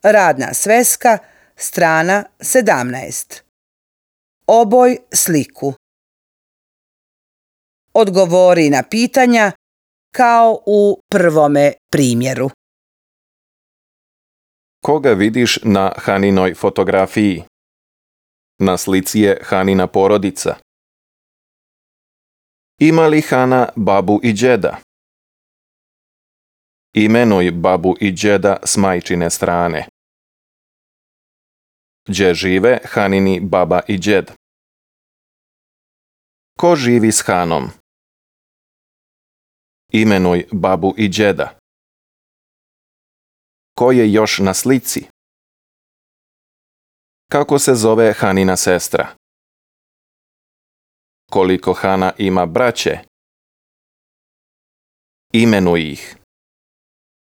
Radna sveska, strana 17. Oboj sliku. Odgovori na pitanja kao u prvome primjeru. Koga vidiš na Haninoj fotografiji? Na slici je Hanina porodica. Ima li Hana babu i džeda? Imenuj babu i džeda s majčine strane. Gdje žive Hanini baba i džed? Ko živi s Hanom? Imenuj babu i džeda. Ko je još na slici? Kako se zove Hanina sestra? Koliko Hana ima braće? Imenuj ih.